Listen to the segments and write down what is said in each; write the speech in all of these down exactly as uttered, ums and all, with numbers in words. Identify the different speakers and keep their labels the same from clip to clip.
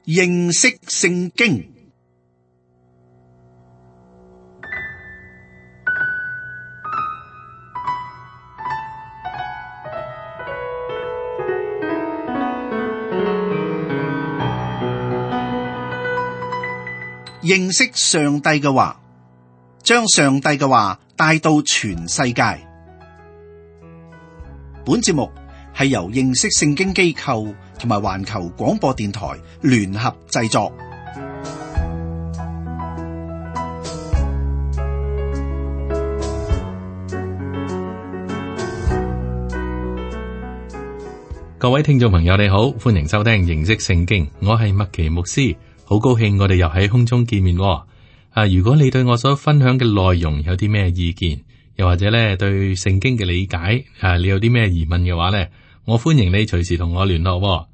Speaker 1: 認識聖經。認識上帝嘅話，將上帝嘅話帶到全世界。本節目係由認識聖經機構同埋環球廣播電台聯合製作。
Speaker 2: 各位聽眾朋友，你好，歡迎收聽認識聖經，我係麥奇牧師。好高興我哋又喺空中見面喎。啊，如果你對我所分享嘅內容有啲咩意見，又或者咧對聖經嘅理解，啊，你有啲咩疑問嘅話咧，我歡迎你隨時同我聯絡喎。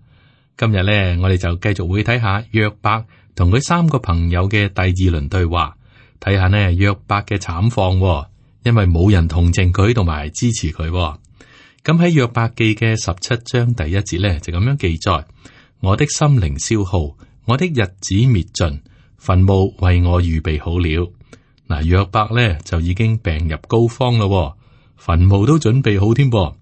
Speaker 2: 今日咧，我哋就繼續會睇下約伯同佢三個朋友嘅第二輪對話，睇下呢約伯嘅慘況喎，因為冇人同情佢同埋支持佢喎。咁喺約伯記嘅十七章第一節咧，就咁樣記載：我的心靈消耗，我的日子滅盡，墳墓為我預備好了。嗱，約伯咧就已經病入膏肓咯，墳墓都準備好添噃。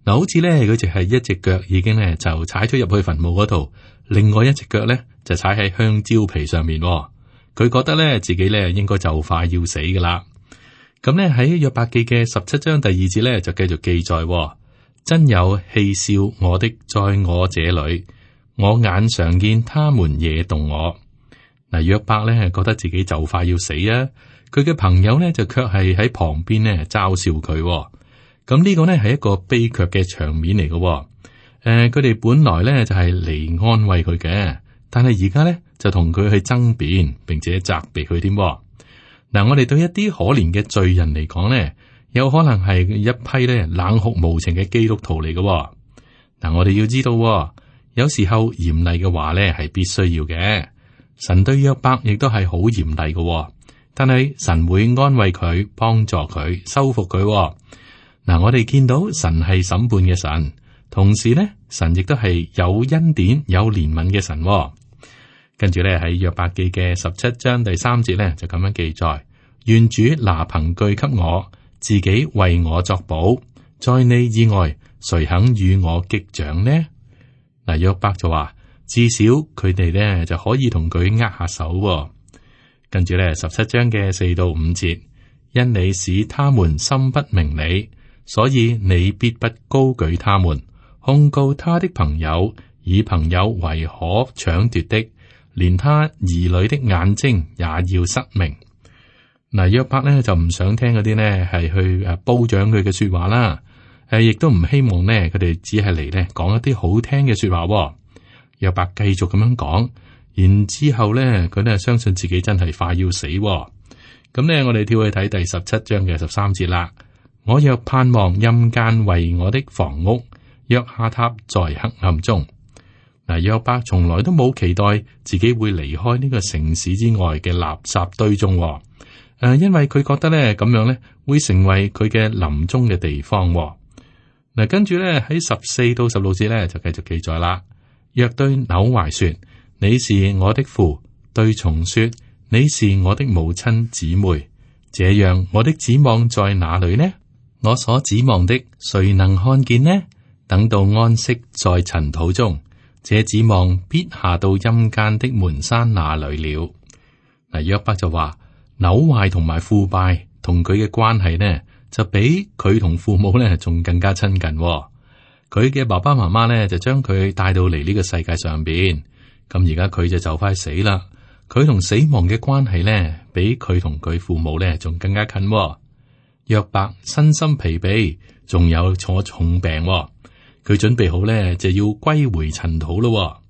Speaker 2: 嗱，好似咧佢就係一隻腳已經咧就踩咗入去墳墓嗰度，另外一隻腳咧就踩喺香蕉皮上面。佢覺得咧自己咧應該就快要死噶啦。咁咧喺約伯記嘅十七章第二節咧就繼續記載：真有戲笑我的在我這裏，我眼常見他們惹動我。嗱，約伯咧係覺得自己就快要死啊，佢嘅朋友咧就卻係喺旁邊咧嘲笑佢。咁呢個呢係一個悲劇嘅場面嚟嘅。誒、呃，佢哋本來咧就係嚟安慰佢嘅，但係而家咧就同佢去爭辯，並且責備佢添。嗱，我哋對一啲可憐嘅罪人嚟講呢，有可能係一批咧冷酷無情嘅基督徒嚟嘅。嗱，我哋要知道，有時候嚴厲嘅話咧係必須要嘅。神對約伯亦都係好嚴厲嘅，但係神會安慰佢、幫助佢、修復佢。嗱，我哋見到神係審判嘅神，同時咧神亦都係有恩典、有憐憫嘅神。跟住咧喺約伯記嘅十七章第三節咧就咁樣記載：願主拿憑據給我，自己為我作保，在你以外，誰肯與我擊掌呢？嗱，約伯就話，至少佢哋咧就可以同佢握下手。跟住咧十七章嘅四到五節，因你使他們心不明理，所以你必不高舉他們，控告他的朋友，以朋友為可搶奪的，連他兒女的眼睛也要失明。嗱，約伯咧就唔想聽嗰啲呢係去誒褒獎佢嘅說話啦，誒亦都唔希望呢佢哋只係嚟咧講一啲好聽嘅說話。約伯繼續咁樣講，然之後咧佢咧相信自己真係快要死。咁呢，我哋跳去睇第十七章嘅十三節啦。我若盼望陰間為我的房屋，若下榻在黑暗中。嗱，約伯從來都冇期待自己會離開呢個城市之外嘅垃圾堆中。誒、呃，因為佢覺得咧咁樣咧會成為佢嘅臨終嘅地方。嗱，跟住咧喺十四到十六節咧就繼續記載啦。若對朽壞說，你是我的父；對蟲說，你是我的母親姊妹。這樣我的指望在哪裏呢？我所指望的誰能看見呢？等到安息在塵土中，這指望必下到陰間的門閂那裏了。嗱，約伯就話朽壞同埋腐敗同佢嘅關係呢，就比佢同父母呢仲更加親近。佢嘅爸爸媽媽呢就將佢帶到嚟呢個世界上邊，咁而家佢就就快死啦。佢同死亡嘅關係呢，比佢同佢父母呢仲更加近。約伯身心疲憊，仲有坐重病，佢準備好呢就要歸回塵土咯。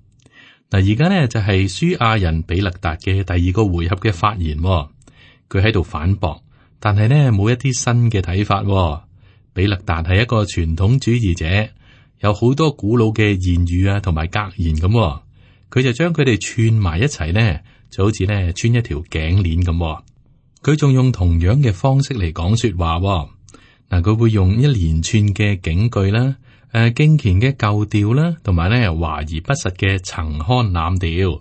Speaker 2: 嗱，而家呢就係書亞人比勒達嘅第二個回合嘅發言，佢喺度反駁，但係呢冇一啲新嘅睇法。比勒達係一個傳統主義者，有好多古老嘅言語啊，同埋格言咁，佢就將佢哋串埋一齊呢，就好似呢穿一條頸鏈咁。佢仲用同樣嘅方式嚟講說話。嗱，佢會用一連串嘅警句啦，誒，敬虔嘅舊調啦，同埋咧華而不實嘅陳腔濫調。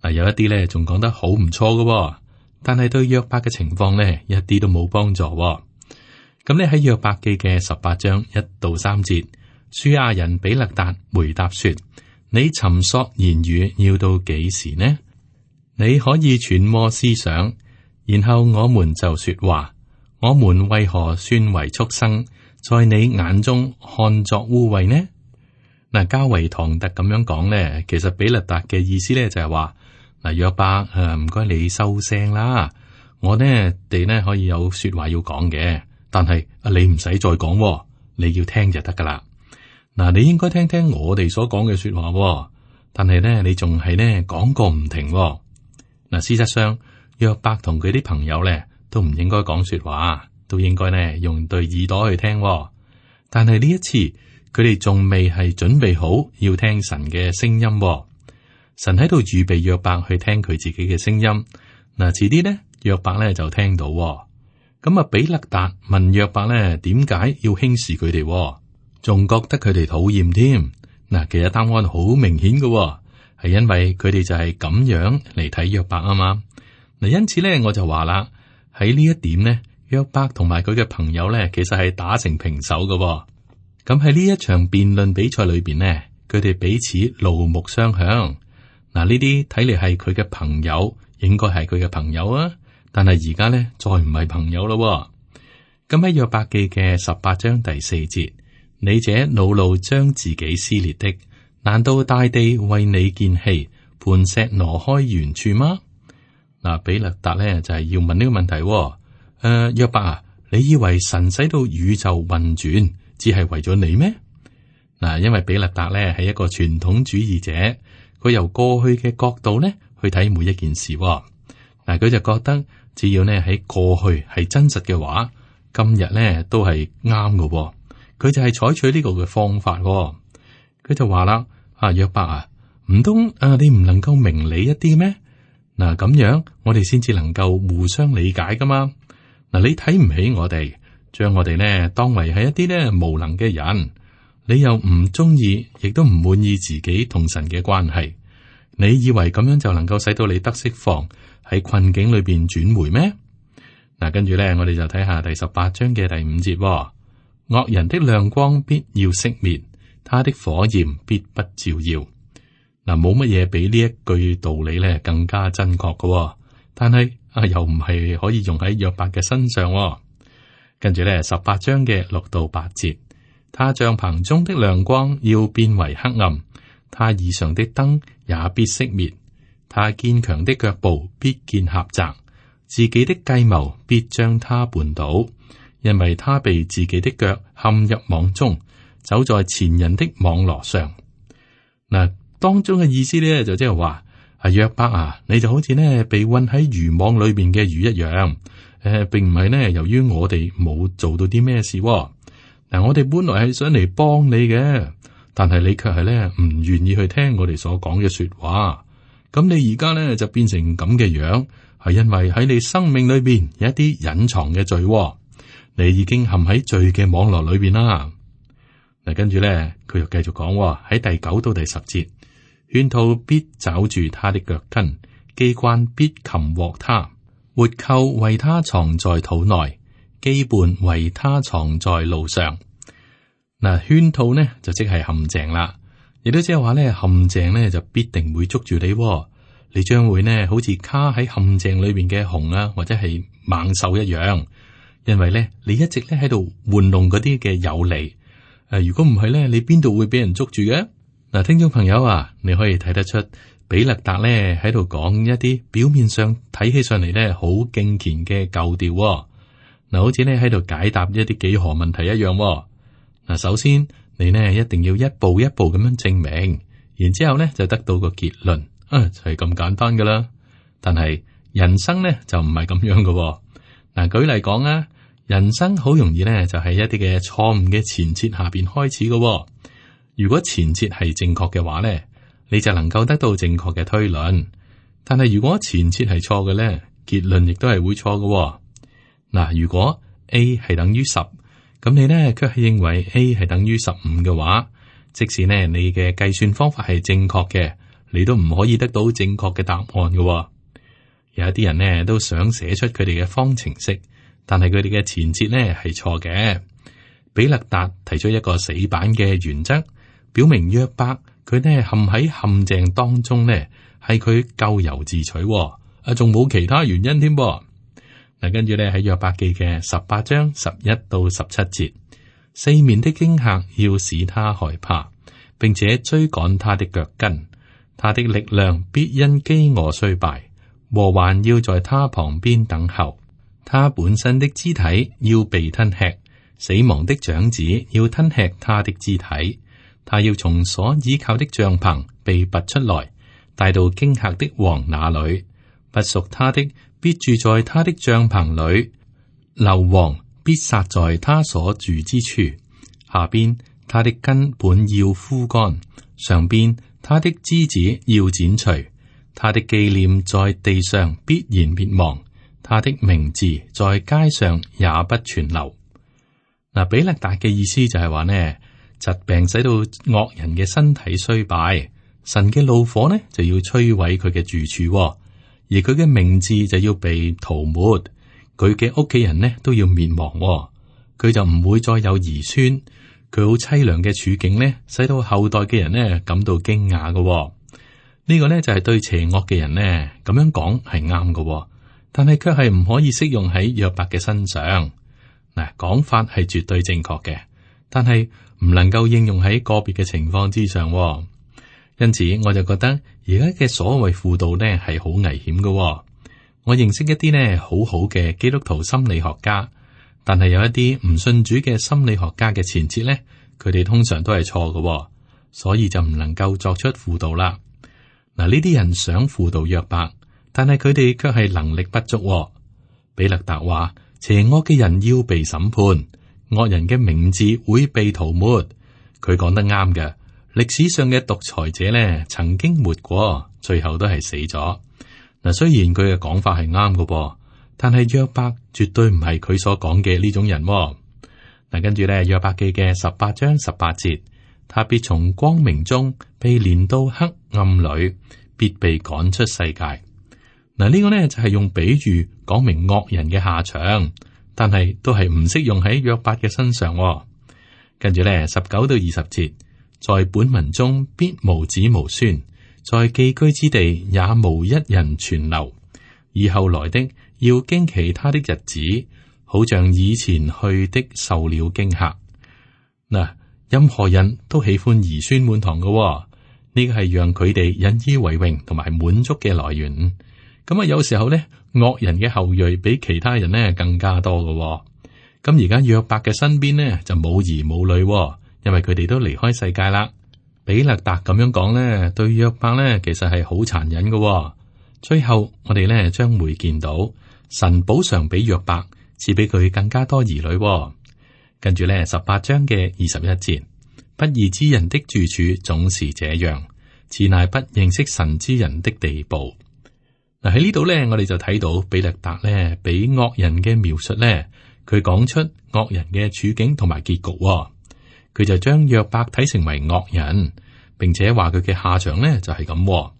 Speaker 2: 嗱，有一啲咧仲講得好唔錯嘅，但係對約伯嘅情況咧一啲都冇幫助。咁咧喺約伯記嘅十八章一到三節，書亞人比勒達回答說：你尋索言語要到幾時呢？你可以揣摩思想，然後我們就說話。我們為何算為畜生，在你眼中看作污穢呢？嗱，較為唐突咁樣講咧，其實比勒達嘅意思咧就係話：嗱，約伯誒，唔該你收聲啦，我呢哋呢可以有說話要講嘅，但係啊你唔使再講，你要聽就得噶啦。嗱，你應該聽聽我哋所講嘅說話，但係呢你仲係呢講個唔停。嗱，事實上約伯同佢啲朋友咧都唔應該講說話，都應該呢用對耳朵去聽。但係呢一次，佢哋仲未係準備好要聽神嘅聲音。神喺度預備約伯去聽佢自己嘅聲音。嗱，遲啲呢，約伯咧就聽到。咁啊，比勒達問約伯咧，點解要輕視佢哋，仲覺得佢哋討厭添？嗱，其實答案好明顯嘅，係因為佢哋就係咁樣嚟睇約伯啊嘛。嗱，因此咧，我就話啦，喺呢一點呢，約伯同埋佢嘅朋友咧，其實係打成平手嘅。咁喺呢一場辯論比賽裏邊呢，佢哋彼此怒目相向。嗱，呢啲睇嚟係佢嘅朋友，應該係佢嘅朋友啊。但係而家呢，再唔係朋友咯。咁喺約伯記嘅十八章第四節，你這惱怒將自己撕裂的，難道大地為你見棄，磐石挪開原處嗎？嗱，比勒達呢就係、是、要問呢個問題。誒、呃，約伯啊，你以為神使到宇宙運轉，只係為咗你咩？嗱，因為比勒達咧係一個傳統主義者，佢由過去嘅角度咧去睇每一件事。嗱，佢就覺得只要呢喺過去係真實嘅話，今日咧都係啱嘅。佢就係採取呢個嘅方法。佢就話啦：啊，約伯啊，唔通啊你唔能夠明理一啲咩？嗱，咁樣我哋先至能夠互相理解噶嘛。嗱，你睇唔起我哋，將我哋呢當為係一啲呢無能嘅人，你又唔中意，亦都唔滿意自己同神嘅關係。你以為咁樣就能夠使到你得釋放，喺困境裏邊轉回咩？嗱，跟住咧，我哋就睇下第十八章嘅第五節，哦。惡人的亮光必要熄滅，他的火焰必不照耀。嗱，冇乜嘢比呢一句道理咧更加真確嘅，哦，但係啊，又唔係可以用喺約伯嘅身上，哦。跟住咧，十八章嘅六到八節，他帳篷中的亮光要變為黑暗，他以上的燈也必熄滅，他堅強的腳步必見狹窄，自己的計謀必將他絆倒，因為他被自己的腳陷入網中，走在前人的網羅上。嗱，當中嘅意思咧就即係話，啊約伯啊，你就好似呢被困喺漁網裏邊嘅魚一樣。誒、呃，並唔係呢，由於我哋冇做到啲咩事，哦。嗱，我哋本來係想嚟幫你嘅，但係你卻係咧唔願意去聽我哋所講嘅說話。咁你而家咧就變成咁嘅樣，係因為喺你生命裏邊有一啲隱藏嘅罪，哦，你已經陷喺罪嘅網絡裏邊啦。嗱，跟住咧佢又繼續講喺第九到第十節，圈套必抓住他的腳跟，機關必擒獲他。活扣為他藏在土內，羈絆為他藏在路上。嗱，圈套呢就即係陷阱啦，亦都即係話咧陷阱呢就必定會捉住你，你將會呢好似卡喺陷阱裏邊嘅熊啊，或者係猛獸一樣，因為咧你一直咧喺度玩弄嗰啲嘅有利。誒，如果唔係咧，你邊度會俾人捉住嘅？嗱，聽眾朋友啊，你可以睇得出。比勒達咧喺度講一啲表面上睇起上嚟咧好敬虔嘅舊調，嗱，好似咧喺度解答一啲幾何問題一樣。嗱，首先你呢一定要一步一步咁樣證明，然之後咧就得到個結論，啊就係咁簡單噶啦。但係人生咧就唔係咁樣噶。嗱，舉例講啊，人生好容易咧就喺一啲嘅錯誤嘅前設下邊開始噶。如果前設係正確嘅話咧，你就能夠得到正確嘅推論，但係如果前設係錯嘅咧，結論亦都係會錯嘅。嗱，如果 A 係等於十，咁你咧卻係認為 A 係等於十五嘅話，即使呢你嘅計算方法係正確嘅，你都唔可以得到正確嘅答案嘅。有一啲人呢都想寫出佢哋嘅方程式，但係佢哋嘅前設呢係錯嘅。比勒達提出一個死板嘅原則，表明約伯佢呢陷喺陷阱當中呢，係佢咎由自取，啊，仲冇其他原因添。嗱，跟住呢喺約伯記嘅十八章十一到十七節，四面的驚嚇要使他害怕，並且追趕他的腳跟，他的力量必因飢餓衰敗，禍患要在他旁邊等候，他本身的肢體要被吞吃，死亡的長子要吞吃他的肢體，他要從所倚靠的帳篷被拔出來，帶到驚嚇的王那裏，不屬他的必住在他的帳篷裏，硫磺必撒在他所住之處，下邊他的根本要枯乾，上邊他的枝子要剪除，他的紀念在地上必然滅亡，他的名字在街上也不存留。嗱，比勒達嘅意思就係話呢，疾病使到惡人嘅身體衰敗，神嘅怒火呢就要摧毀佢嘅住處，而佢嘅名字就要被塗抹，佢嘅屋企人呢都要滅亡，佢就唔會再有兒孫。佢好淒涼嘅處境呢，使到後代嘅人呢感到驚訝嘅。呢個呢就係對邪惡嘅人呢咁樣講係啱嘅，但係卻係唔可以適用喺約伯嘅身上。嗱，講法係絕對正確嘅，但係唔能夠應用喺個別嘅情況之上。因此，我就覺得而家嘅所謂輔導呢係好危險嘅。我認識一啲呢好好嘅基督徒心理學家，但係有一啲唔信主嘅心理學家嘅前設呢，佢哋通常都係錯嘅，所以就唔能夠作出輔導啦。嗱，呢啲人想輔導約伯，但係佢哋卻係能力不足。比勒達話：邪惡嘅人要被審判，惡人嘅名字會被塗抹。佢講得啱嘅。歷史上嘅獨裁者呢，曾經活過，最後都係死咗。嗱，雖然佢嘅講法係啱嘅噃，但係約伯絕對唔係佢所講嘅呢種人。嗱，跟住咧約伯記嘅十八章十八節，他必從光明中被連到黑暗裏，必被趕出世界。嗱，呢個呢就係用比喻講明惡人嘅下場，但係都係唔適用喺約伯嘅身上。跟住咧十九到二十節。在本民中必無子無孫，在寄居之地也無一人存留。以後來的要驚奇他的日子，好像以前去的受了驚嚇。嗱，任何人都喜歡兒孫滿堂嘅，呢個係讓佢哋引以為榮同埋滿足嘅來源。咁啊，有時候呢，惡人嘅後裔比其他人呢更加多嘅。咁而家約伯嘅身邊呢就冇兒冇女。因為佢哋都離開世界啦。比勒達咁樣講呢，對約伯呢其實係好殘忍嘅。最後我哋呢將會見到神補償俾約伯，賜俾佢更加多兒女。跟住呢十八章嘅二十一節，不義之人的住處總是這樣，此乃不認識神之人的地步。嗱，喺呢度呢，我哋就睇到比勒達呢俾惡人嘅描述呢，佢講出惡人嘅處境同埋結局。佢就將約伯睇成為惡人，並且話佢嘅下場呢就係咁。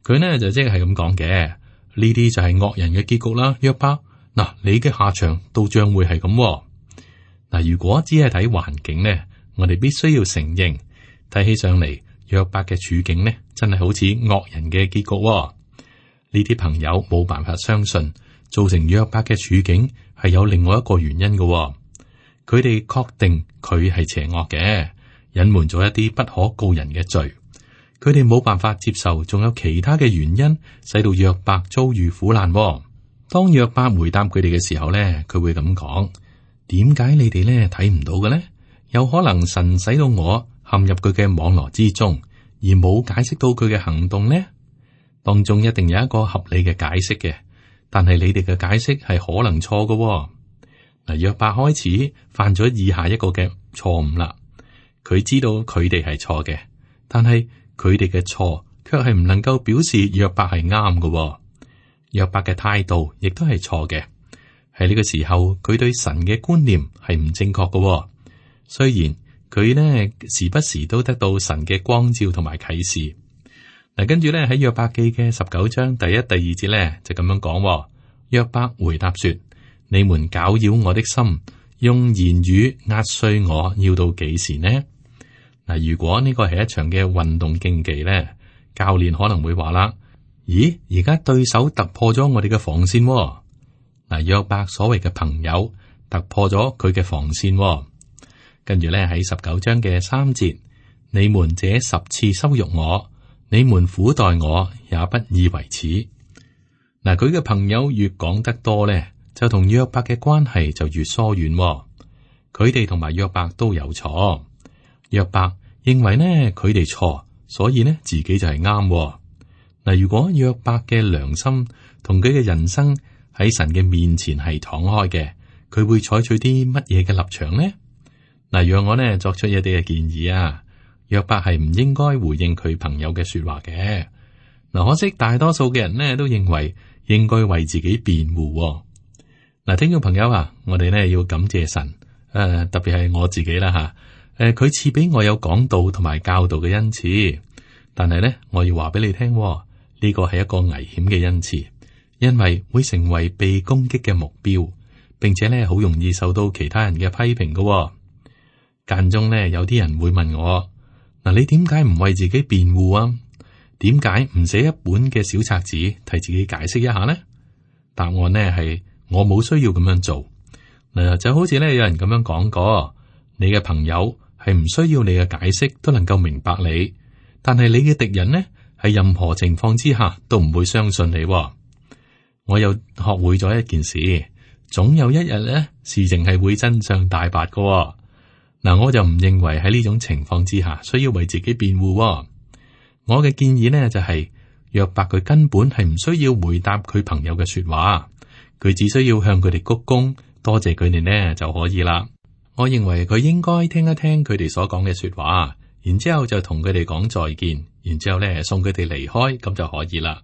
Speaker 2: 佢呢就即係咁講嘅，呢啲就係惡人嘅結局啦。約伯，嗱，你嘅下場都將會係咁。嗱，如果只係睇環境呢，我哋必須要承認，睇起上嚟約伯嘅處境呢，真係好似惡人嘅結局。呢啲朋友冇辦法相信，造成約伯嘅處境係有另外一個原因嘅。佢哋確定佢係邪惡嘅，隱瞞咗一啲不可告人嘅罪。佢哋冇辦法接受，仲有其他嘅原因使到約伯遭遇苦難。當約伯回答佢哋嘅時候咧，佢會咁講：點解你哋咧睇唔到嘅咧？有可能神使到我陷入佢嘅網羅之中，而冇解釋到佢嘅行動呢？當中一定有一個合理嘅解釋嘅，但係你哋嘅解釋係可能錯嘅。嗱，約伯開始犯咗以下一個嘅錯誤啦。佢知道佢哋係錯嘅，但係佢哋嘅錯卻係唔能夠表示約伯係啱嘅。約伯嘅態度亦都係錯嘅。喺呢個時候，佢對神嘅觀念係唔正確嘅。雖然佢呢時不時都得到神嘅光照同埋啟示。嗱，跟住咧喺約伯記嘅十九章第一、第二節咧就咁樣講。約伯回答說：你們攪擾我的心，用言語壓碎我，要到幾時呢？嗱，如果呢個係一場嘅運動競技咧，教練可能會話啦：咦，而家對手突破咗我哋嘅防線。嗱，約伯所謂嘅朋友突破咗佢嘅防線。跟住咧喺十九章嘅三節，你們這十次羞辱我，你們苦待我，也不以為恥。嗱，佢嘅朋友越講得多咧，就同約伯嘅關係就越疏遠。佢哋同埋約伯都有錯。約伯認為呢，佢哋錯，所以呢自己就係啱。嗱，如果約伯嘅良心同佢嘅人生喺神嘅面前係敞開嘅，佢會採取啲乜嘢嘅立場呢？嗱，讓我呢作出一啲嘅建議啊。約伯係唔應該回應佢朋友嘅說話嘅。嗱，可惜大多數嘅人呢都認為應該為自己辯護。嗱，聽眾朋友啊，我哋呢要感謝神，誒、呃，特別係我自己啦吓，誒、呃，佢賜俾我有講道同埋教導嘅恩賜，但係呢，我要話俾你聽，呢個係一個危險嘅恩賜，因為會成為被攻擊嘅目標，並且呢好容易受到其他人嘅批評嘅。間中呢，有啲人會問我：嗱，你點解唔為自己辯護啊？點解唔寫一本嘅小冊子替自己解釋一下呢？答案呢係我冇需要咁樣做。嗱，就好似呢有人咁樣講過，你嘅朋友係唔需要你嘅解釋都能夠明白你，但係你嘅敵人呢喺任何情況之下都唔會相信你。我又學會咗一件事，總有一日呢事情係會真相大白嘅。嗱，我就唔認為喺呢種情況之下需要為自己辯護。我嘅建議呢就係、是，約伯佢根本係唔需要回答佢朋友嘅說話，佢只需要向佢哋鞠躬，多謝佢哋呢就可以啦。我認為佢應該聽一聽佢哋所講嘅說話，然之後就同佢哋講再見，然之後呢送佢哋離開，咁就可以啦。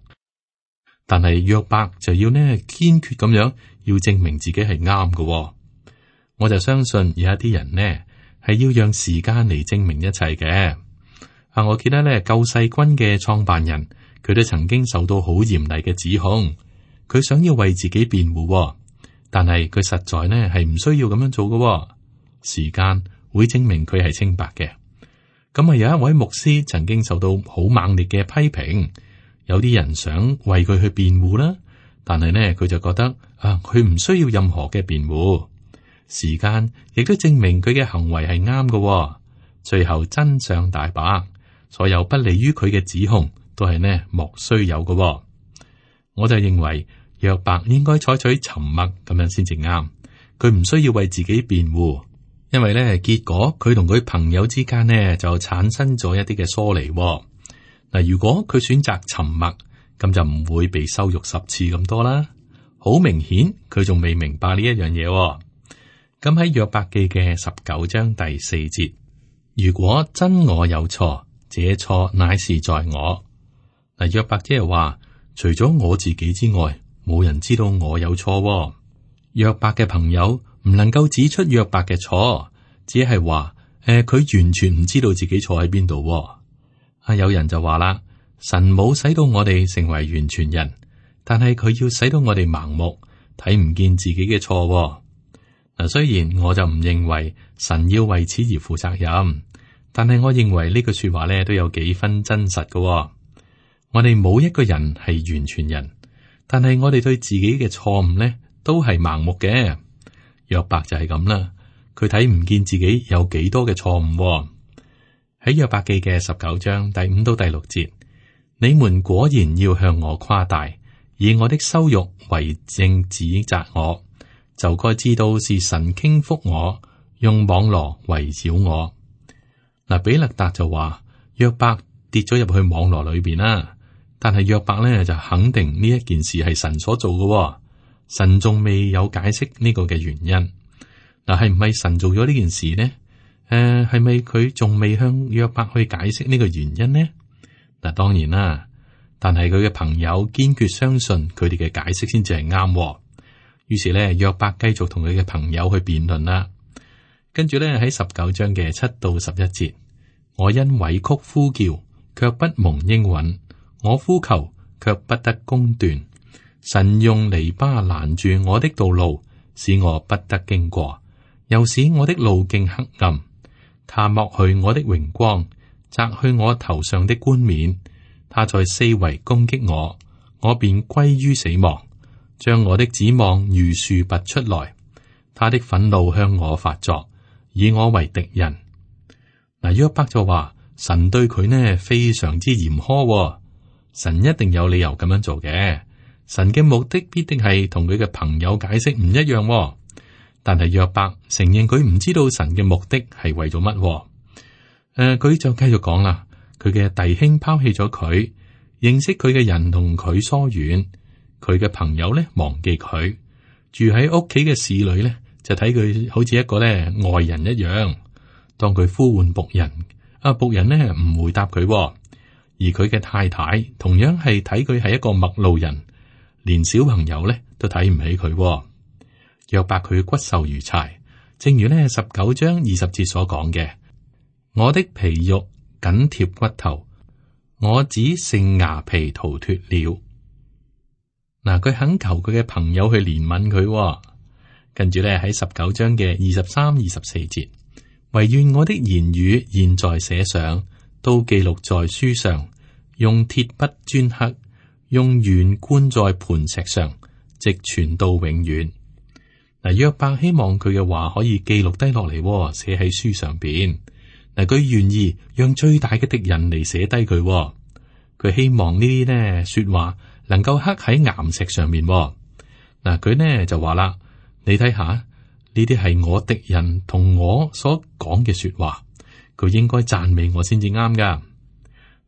Speaker 2: 但係約伯就要呢堅決咁樣要證明自己係啱嘅。我就相信有一啲人呢係要讓時間嚟證明一切嘅。啊，我記得咧救世軍嘅創辦人，佢都曾經受到好嚴厲嘅指控，佢想要為自己辯護，但係佢實在呢係唔需要咁樣做嘅。時間會證明佢係清白嘅。咁啊，有一位牧師曾經受到好猛烈嘅批評，有啲人想為佢去辯護啦，但係呢佢就覺得啊，佢唔需要任何嘅辯護。時間亦都證明佢嘅行為係啱嘅。最後真相大白。所有不利於佢嘅指控都係呢莫須有嘅。哦，我就認為約伯應該採取沉默咁樣先至啱，佢唔需要為自己辯護，因為呢結果佢同佢朋友之間呢就產生咗一啲嘅疏離。嗱，如果佢選擇沉默，咁就唔會被羞辱十次咁多啦。好明顯佢仲未明白呢一樣嘢。咁喺約伯記嘅十九章第四節，如果真我有錯，這錯乃是在我。嗱，約伯即係話，除咗我自己之外，冇人知道我有錯。約伯嘅朋友唔能夠指出約伯嘅錯，只係話，誒、呃，佢完全唔知道自己錯喺邊度。啊，有人就話啦，神冇使到我哋成為完全人，但係佢要使到我哋盲目，睇唔見自己嘅錯。嗱，雖然我就唔認為神要為此而負責任。但係我認為呢句說話咧都有幾分真實嘅。哦，我哋冇一個人係完全人，但係我哋對自己嘅錯誤咧都係盲目嘅。約伯就係咁啦，佢睇唔見自己有幾多嘅錯誤。喺約伯記嘅十九章第五到第六節，你們果然要向我誇大，以我的羞辱為證指責我，就該知道是神傾覆我，用網羅圍繞我。嗱，比勒達就話約伯跌咗入去網羅裏邊啦，但係約伯咧就肯定呢一件事係神所做嘅，神仲未有解釋呢個嘅原因。嗱，係唔係神做咗呢件事呢？誒、呃，係咪佢仲未向約伯去解釋呢個原因呢？嗱，當然啦，但係佢嘅朋友堅決相信佢哋嘅解釋先至係啱。於是咧，約伯繼續同佢嘅朋友去辯論啦。跟住咧喺十九章嘅七到十一節，我因委曲呼叫，卻不蒙應允；我呼求卻不得公斷。神用籬笆攔住我的道路，使我不得經過，又使我的路徑黑暗。他剝去我的榮光，摘去我頭上的冠冕。他在四圍攻擊我，我便歸於死亡，將我的指望如樹拔出來。他的憤怒向我發作，以我為敵人。嗱，約伯就話神對佢呢非常之嚴苛，哦，神一定有理由咁樣做嘅。神嘅目的必定係同佢嘅朋友解釋唔一樣，哦，但係約伯承認佢唔知道神嘅目的係為咗乜。誒、呃，佢就繼續講啦，佢嘅弟兄拋棄咗佢，認識佢嘅人同佢疏遠，佢嘅朋友咧忘記佢，住喺屋企嘅侍女咧就睇佢好似一個咧外人一樣。當佢呼喚僕人，啊僕人咧唔回答佢，而佢嘅太太同樣係睇佢係一個陌路人。連小朋友咧都睇唔起佢。約伯佢骨瘦如柴，正如呢十九章二十節所講嘅：我的皮肉緊貼骨頭，我只剩牙皮逃脫了。嗱，佢懇求佢嘅朋友去憐憫佢。跟住咧喺十九章嘅二十三、二十四節，惟願我的言語現在寫上，都記錄在書上，用鐵筆鐫刻。用鉛灌在磐石上，直傳到永遠。嗱，約伯希望佢嘅話可以記錄低落嚟，寫喺書上邊。嗱，佢願意讓最大嘅敵人嚟寫低佢。佢希望呢啲呢說話能夠刻喺岩石上面。嗱，佢呢就話啦，你睇下呢啲係我敵人同我所講嘅說話，佢應該讚美我先至啱噶。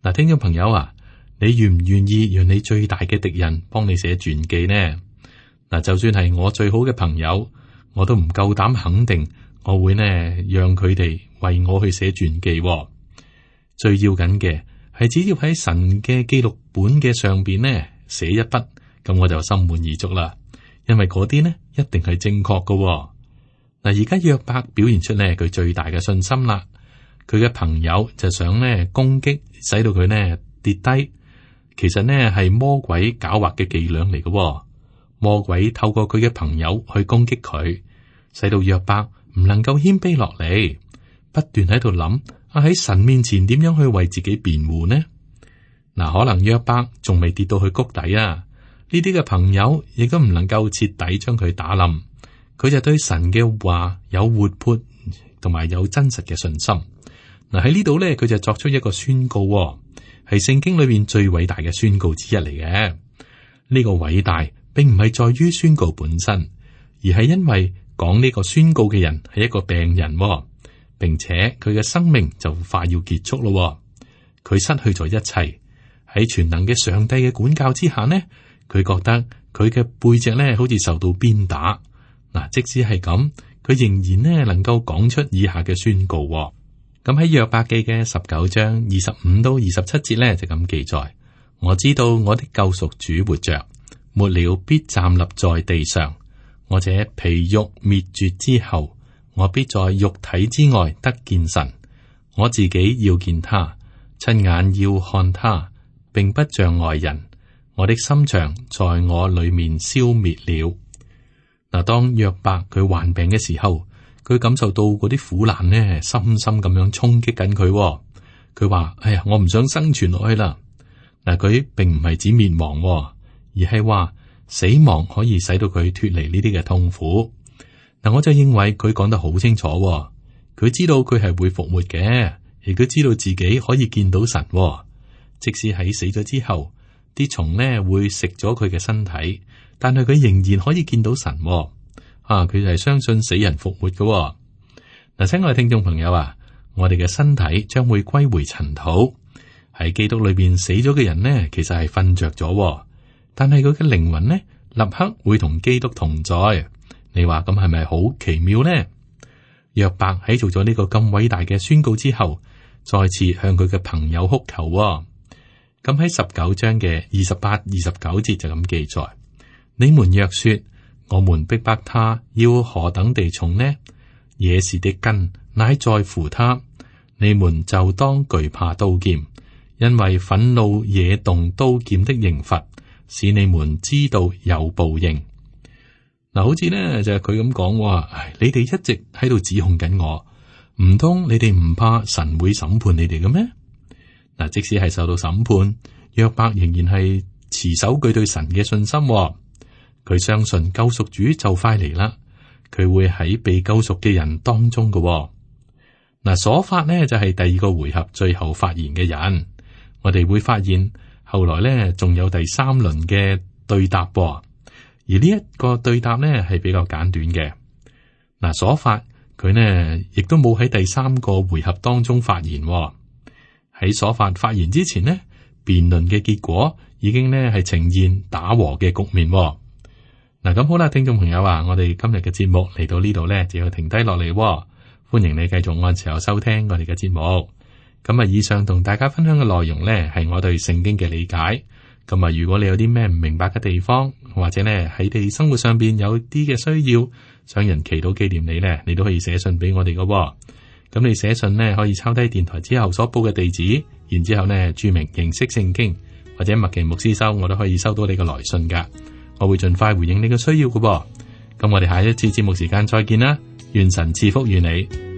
Speaker 2: 嗱，聽眾朋友啊。你願唔願意讓你最大嘅敵人幫你寫傳記呢？嗱，就算係我最好嘅朋友，我都唔夠膽肯定我會呢讓佢哋為我去寫傳記。最要緊嘅係只要喺神嘅記錄本嘅上邊呢寫一筆，咁我就心滿意足啦。因為嗰啲呢一定係正確㗎。嗱，而家約伯表現出呢佢最大嘅信心啦。佢嘅朋友就想呢攻擊，使到佢呢跌低。其實呢係魔鬼狡猾嘅伎倆嚟嘅，魔鬼透過佢嘅朋友去攻擊佢，使到約伯唔能夠謙卑落嚟，不斷喺度諗啊喺神面前點樣去為自己辯護呢？嗱，可能約伯仲未跌到去谷底啊，呢啲嘅朋友亦都唔能夠徹底將佢打冧，佢就對神嘅話有活潑同埋有真實嘅信心。嗱，喺呢度咧，佢就作出一個宣告。係聖經裏邊最偉大嘅宣告之一嚟嘅。呢個偉大並唔係在於宣告本身，而係因為講呢個宣告嘅人係一個病人，並且佢嘅生命就快要結束咯。佢失去咗一切，喺全能嘅上帝嘅管教之下呢，佢覺得佢嘅背脊咧好似受到鞭打。嗱，即使係咁，佢仍然呢能夠講出以下嘅宣告。咁喺約伯記嘅十九章二十五到二十七節咧就咁記載：我知道我的救贖主活着，末了必站立在地上。我這皮肉滅絕之後，我必在肉體之外得見神。我自己要見他，親眼要看他，並不像外人。我的心腸在我裏面消滅了。嗱，當約伯佢患病嘅時候，佢感受到嗰啲苦難呢，深深咁樣衝擊緊佢。佢話：哎呀，我唔想生存落去啦。嗱，佢並唔係指滅亡，而係話死亡可以使到佢脫離呢啲嘅痛苦。嗱，我就認為佢講得好清楚。佢知道佢係會復活嘅，亦都知道自己可以見到神。即使喺死咗之後，啲蟲呢會食咗佢嘅身體，但係佢仍然可以見到神。啊！佢就係相信死人復活嘅。嗱，親愛嘅聽眾朋友啊，我哋嘅身體將會歸回塵土。喺基督裏邊死咗嘅人呢，其實係瞓着咗，但係佢嘅靈魂呢，立刻會同基督同在。你話咁係咪好奇妙呢？約伯喺做咗呢個咁偉大嘅宣告之後，再次向佢嘅朋友哭求。咁喺十九章嘅二十八、二十九節就咁記載：你們若說，我們逼迫他，要何等地重呢？野事的根乃在乎他，你們就當懼怕刀劍，因為憤怒惹動刀劍的刑罰，使你們知道有報應。嗱，好似呢就係佢咁講話，你哋一直喺度指控緊我，唔通你哋唔怕神會審判你哋嘅咩？嗱，即使係受到審判，約伯仍然係持守佢對神嘅信心。佢相信救贖主就快嚟啦，佢會喺被救贖嘅人當中嘅。嗱，所法呢就係第二個回合最後發言嘅人。我哋會發現後來呢仲有第三輪嘅對答，而呢一個對答呢係比較簡短嘅。嗱，所法佢呢亦都冇喺第三個回合當中發言。喺所法發言之前呢，辯論嘅結果已經呢係呈現打和嘅局面。嗱，咁好啦，聽眾朋友啊，我哋今日嘅節目嚟到呢度呢，就要停低落嚟。歡迎你繼續按時候收聽我哋嘅節目。咁啊，以上同大家分享嘅內容呢，係我對聖經嘅理解。咁啊，如果你有啲咩唔明白嘅地方，或者呢喺你生活上邊有啲嘅需要，想人祈禱紀念你呢，你都可以寫信俾我哋㗎。咁你寫信呢，可以抄低電台之後所報嘅地址，然之後呢注明認識聖經或者麥奇牧師收，我都可以收到你嘅來信噶。我會盡快回應你嘅需要㗎。咁我哋下一次節目時間再見啦，願神賜福於你。